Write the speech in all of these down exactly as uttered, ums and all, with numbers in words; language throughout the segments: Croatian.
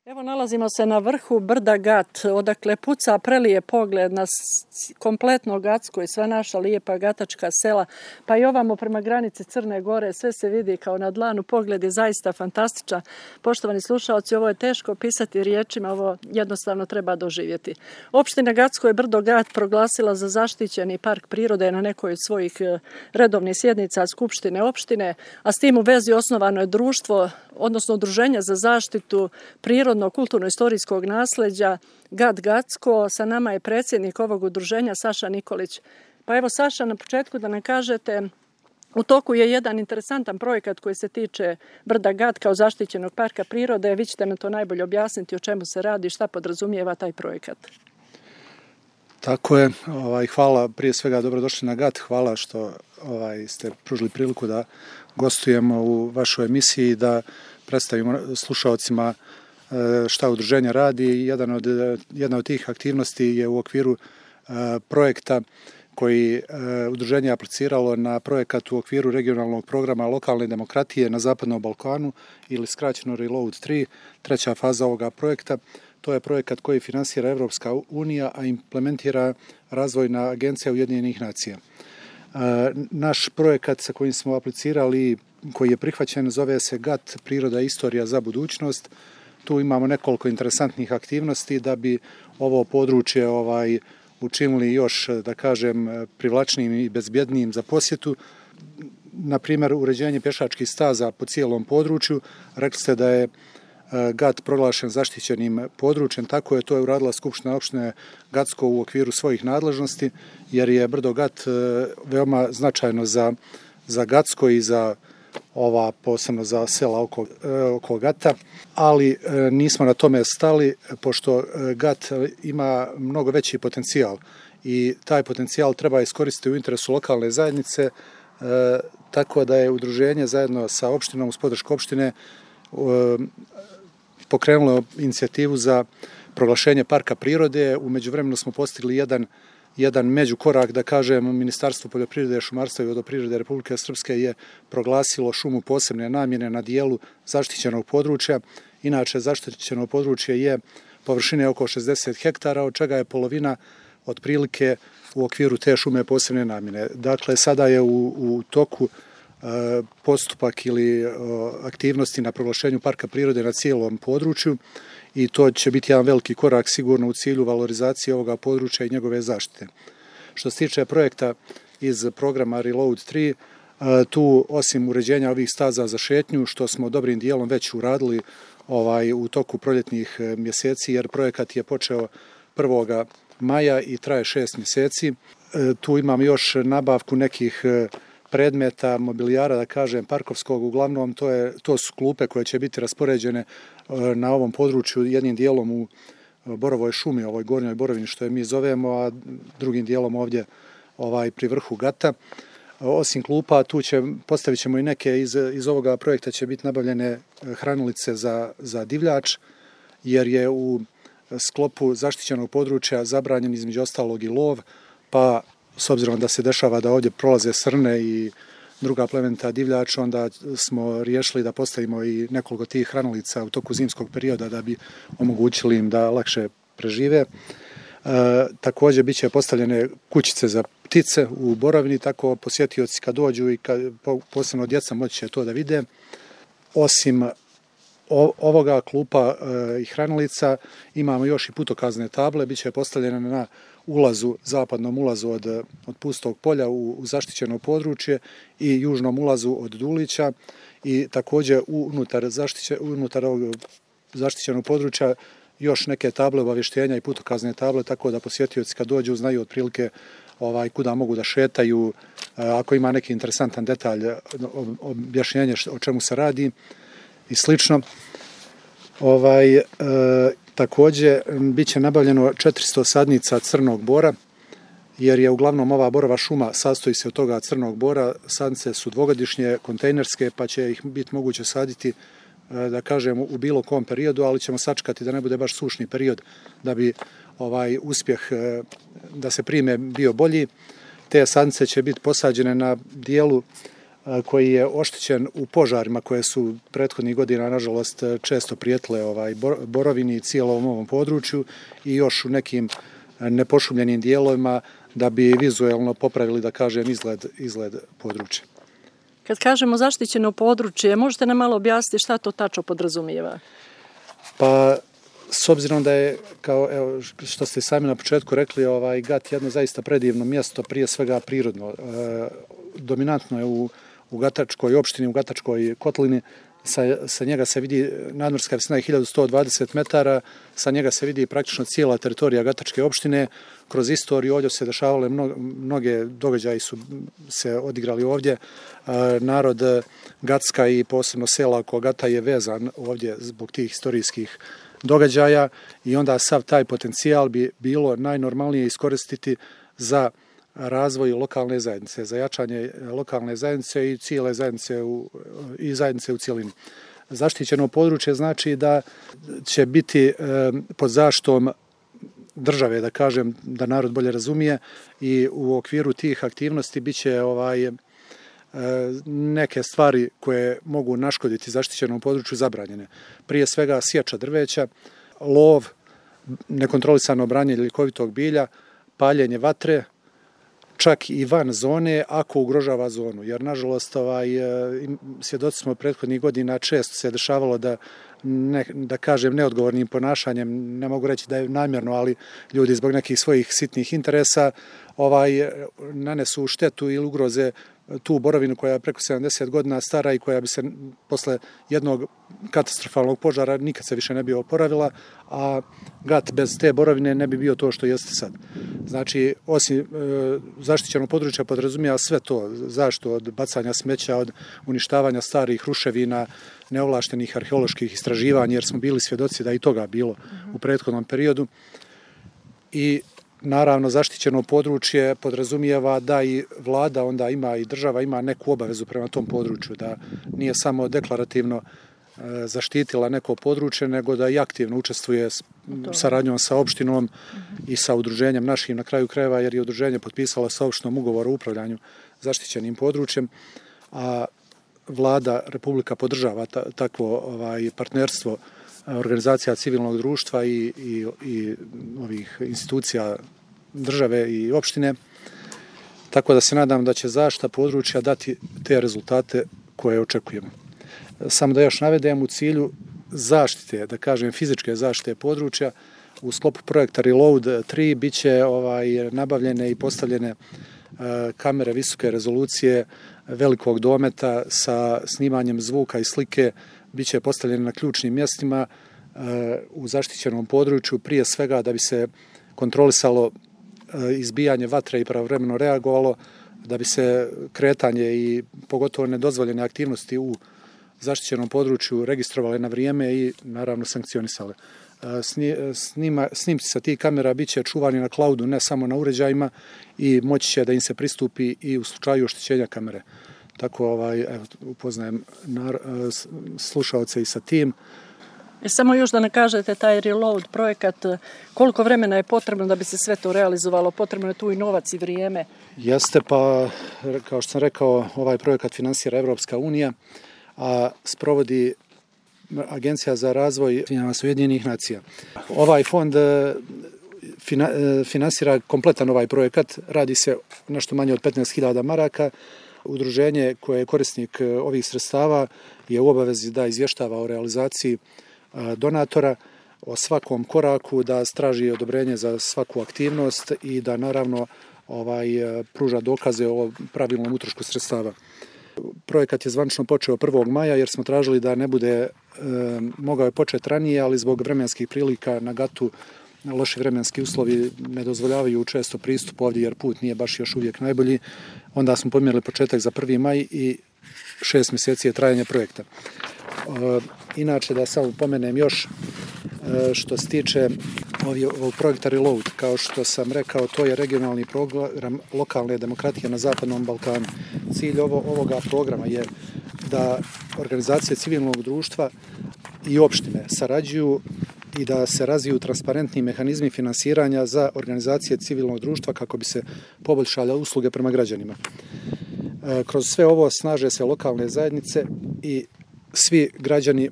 Evo nalazimo se na vrhu brda Gat, odakle puca prelije pogled na kompletno Gatsko i sva naša lijepa gatačka sela, pa i ovamo prema granici Crne Gore, sve se vidi kao na dlanu, pogled je zaista fantastičan. Poštovani slušaoci, ovo je teško pisati riječima, ovo jednostavno treba doživjeti. Opština Gatsko je brdo Gat proglasila za zaštićeni park prirode na nekoj od svojih redovnih sjednica Skupštine opštine, a s tim u vezi osnovano je društvo, odnosno udruženje za zaštitu prirodnog kulturno-istorijskog nasljeđa Gat Gatsko. Sa nama je predsjednik ovog udruženja Saša Nikolić. Pa evo Saša, na početku da nam kažete, u toku je jedan interesantan projekat koji se tiče brda Gat kao zaštićenog parka prirode. Vi ćete nam to najbolje objasniti o čemu se radi, šta podrazumijeva taj projekat. Tako je. Ovaj, hvala, prije svega dobrodošli na Gat. Hvala što ovaj, ste pružili priliku da gostujemo u vašoj emisiji, da predstavimo slušaocima šta udruženje radi. Jedan od, jedna od tih aktivnosti je u okviru projekta koji udruženje je apliciralo na projekat u okviru regionalnog programa lokalne demokratije na Zapadnom Balkanu ili skraćeno Reload tri, treća faza ovoga projekta. To je projekat koji finansira Evropska unija, a implementira Razvojna agencija Ujedinjenih nacija. Naš projekat sa kojim smo aplicirali, koji je prihvaćen, zove se Gat priroda i istorija za budućnost. Tu imamo nekoliko interesantnih aktivnosti da bi ovo područje ovaj, učinili još, da kažem, privlačnijim i bezbjednijim za posjetu. Na primjer, uređenje pješačkih staza po cijelom području. Rekli ste da je Gat proglašen zaštićenim područjem, tako je to je uradila Skupština opštine Gatsko u okviru svojih nadležnosti, jer je brdo Gat veoma značajno za, za Gatsko i za ova posebno za sela oko, oko Gata, ali nismo na tome stali, pošto Gat ima mnogo veći potencijal i taj potencijal treba iskoristiti u interesu lokalne zajednice, tako da je udruženje zajedno sa opštinom uz podršku opštine pokrenulo inicijativu za proglašenje parka prirode. U međuvremenu smo postigli jedan, jedan međukorak, da kažem, Ministarstvo poljoprivrede, šumarstva i vodoprivrede Republike Srpske je proglasilo šumu posebne namjene na dijelu zaštićenog područja. Inače, zaštićeno područje je površine oko šezdeset hektara, od čega je polovina otprilike u okviru te šume posebne namjene. Dakle, sada je u, u toku postupak ili aktivnosti na proglašenju parka prirode na cijelom području i to će biti jedan veliki korak sigurno u cilju valorizacije ovoga područja i njegove zaštite. Što se tiče projekta iz programa Reload tri, tu osim uređenja ovih staza za šetnju, što smo dobrim dijelom već uradili ovaj, u toku proljetnih mjeseci, jer projekat je počeo prvog maja i traje šest mjeseci. Tu imam još nabavku nekih predmeta, mobilijara, da kažem, parkovskog, uglavnom to, je, to su klupe koje će biti raspoređene na ovom području, jednim dijelom u Borovoj šumi, ovoj gornjoj Borovini što je mi zovemo, a drugim dijelom ovdje ovaj, pri vrhu Gata. Osim klupa, tu će, postavit ćemo i neke, iz, iz ovoga projekta će biti nabavljene hranilice za, za divljač, jer je u sklopu zaštićenog područja zabranjen između ostalog i lov, pa s obzirom da se dešava da ovdje prolaze srne i druga plemenita divljač, onda smo riješili da postavimo i nekoliko tih hranilica u toku zimskog perioda da bi omogućili im da lakše prežive. E, također bit će postavljene kućice za ptice u Borovini, tako posjetioci kad dođu i kad, posebno djeca moći će to da vide. Osim ovoga klupa e, i hranilica imamo još i putokazne table, bit će postavljene na ulazu, zapadnom ulazu od, od Pustog polja u, u zaštićeno područje i južnom ulazu od Dulića i također unutar, zaštiće, unutar ovog zaštićenog područja još neke table obavještenja i putokazne table, tako da posjetioci kad dođu znaju otprilike ovaj, kuda mogu da šetaju, ako ima neki interesantan detalj, objašnjenje o čemu se radi i slično. Ovaj, e, također bit će nabavljeno četiristo sadnica crnog bora, jer je uglavnom ova borova šuma sastoji se od toga crnog bora. Sadnice su dvogodišnje, kontejnerske, pa će ih biti moguće saditi, da kažem, u bilo kom periodu, ali ćemo sačekati da ne bude baš sušni period da bi ovaj uspjeh da se prime bio bolji. Te sadnice će biti posađene na dijelu koji je oštećen u požarima koje su prethodnih godina, nažalost, često prijetile ovaj, Borovini i cijelom ovom području i još u nekim nepošumljenim dijelovima da bi vizuelno popravili, da kažem, izgled, izgled područja. Kad kažemo zaštićeno područje, možete nam malo objasniti šta to tačno podrazumijeva? Pa, s obzirom da je, kao evo, što ste sami na početku rekli, ovaj Gat jedno zaista predivno mjesto, prije svega prirodno. E, dominantno je u, u Gatačkoj opštini, u Gatačkoj kotlini. Sa, sa njega se vidi nadmorska visina je hiljadu sto dvadeset metara, sa njega se vidi praktično cijela teritorija Gatačke opštine. Kroz istoriju ovdje se dešavale mnoge, mnoge događaji su se odigrali ovdje. E, narod Gatska i posebno sela oko Gata je vezan ovdje zbog tih historijskih događaja i onda sav taj potencijal bi bilo najnormalnije iskoristiti za razvoj lokalne zajednice, za jačanje lokalne zajednice i cijele zajednice u, i zajednice u cjelini. Zaštićeno područje znači da će biti e, pod zaštitom države, da kažem, da narod bolje razumije, i u okviru tih aktivnosti bit će ovaj, e, neke stvari koje mogu naškoditi zaštićenom području zabranjene. Prije svega sječa drveća, lov, nekontrolisano branje ljekovitog bilja, paljenje vatre, čak i van zone ako ugrožava zonu. Jer, nažalost, ovaj, svjedoci smo prethodnih godina, često se dešavalo da, ne, da kažem, neodgovornim ponašanjem, ne mogu reći da je namjerno, ali ljudi zbog nekih svojih sitnih interesa ovaj, nanesu štetu ili ugroze tu borovinu koja je preko sedamdeset godina stara i koja bi se posle jednog katastrofalnog požara nikad se više ne bi oporavila, a Gat bez te borovine ne bi bio to što jeste sad. Znači, osim e, zaštićenog područja podrazumijeva sve to, zaštitu od bacanja smeća, od uništavanja starih ruševina, neovlaštenih arheoloških istraživanja, jer smo bili svjedoci da i toga bilo u prethodnom periodu. I naravno, zaštićeno područje podrazumijeva da i vlada onda ima i država ima neku obavezu prema tom području, da nije samo deklarativno e, zaštitila neko područje, nego da i aktivno učestvuje s saradnjom sa opštinom uh-huh. i sa udruženjem našim na kraju krajeva, jer je udruženje potpisalo sa opštinom ugovor o upravljanju zaštićenim područjem, a vlada Republika podržava ta, takvo ovaj, partnerstvo organizacija civilnog društva i, i, i ovih institucija države i opštine, tako da se nadam da će zaštita područja dati te rezultate koje očekujemo. Samo da još navedem, u cilju zaštite, da kažem fizičke zaštite područja, u sklopu projekta Reload tri bit će ovaj, nabavljene i postavljene uh, kamere visoke rezolucije velikog dometa sa snimanjem zvuka i slike, bit će postavljene na ključnim mjestima uh, u zaštićenom području, prije svega da bi se kontrolisalo uh, izbijanje vatre i pravovremeno reagovalo, da bi se kretanje i pogotovo nedozvoljene aktivnosti u zaštićenom području registrovale na vrijeme i naravno sankcionisale. Snima, snimci sa tih kamera bit će čuvani na cloudu, ne samo na uređajima, i moći će da im se pristupi i u slučaju oštećenja kamere. Tako ovaj, evo, upoznajem nar, slušaoce i sa tim. E, samo još da ne kažete, taj Reload projekat, koliko vremena je potrebno da bi se sve to realizovalo? Potrebno je tu i novac i vrijeme. Jeste, pa kao što sam rekao, ovaj projekat finansira Evropska unija, a sprovodi Agencija za razvoj Ujedinjenih nacija. Ovaj fond finansira kompletan ovaj projekat, radi se nešto manje od petnaest hiljada maraka. Udruženje koje je korisnik ovih sredstava je u obavezi da izvještava o realizaciji donatora, o svakom koraku, da straži odobrenje za svaku aktivnost i da naravno ovaj, pruža dokaze o pravilnom utrošku sredstava. Projekat je zvanično počeo prvog maja jer smo tražili da ne bude, e, mogao je početi ranije, ali zbog vremenskih prilika na Gatu loši vremenski uslovi ne dozvoljavaju često pristup ovdje jer put nije baš još uvijek najbolji. Onda smo pomjerili početak za prvi maj i šest mjeseci je trajanje projekta. E, inače, da samo pomenem još, e, što se tiče ovog projekta Reload, kao što sam rekao, to je regionalni program lokalne demokratije na Zapadnom Balkanu. Cilj ovo, ovoga programa je da organizacije civilnog društva i opštine sarađuju i da se razviju transparentni mehanizmi finansiranja za organizacije civilnog društva kako bi se poboljšale usluge prema građanima. Kroz sve ovo snaže se lokalne zajednice i svi građani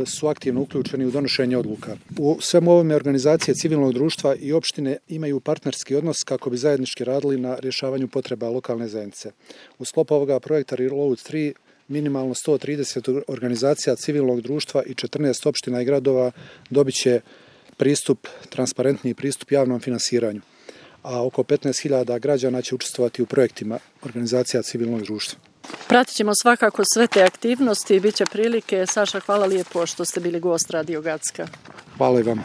su aktivno uključeni u donošenje odluka. U svemu ovome organizacije civilnog društva i opštine imaju partnerski odnos kako bi zajednički radili na rješavanju potreba lokalne zajednice. U sklopu ovoga projekta Reload tri minimalno sto trideset organizacija civilnog društva i četrnaest opština i gradova dobit će pristup, transparentniji pristup javnom finansiranju, a oko petnaest hiljada građana će učestvovati u projektima organizacija civilnog društva. Pratit ćemo svakako sve te aktivnosti i bit će prilike. Saša, hvala lijepo što ste bili gost Radio Gacka. Hvala i vama.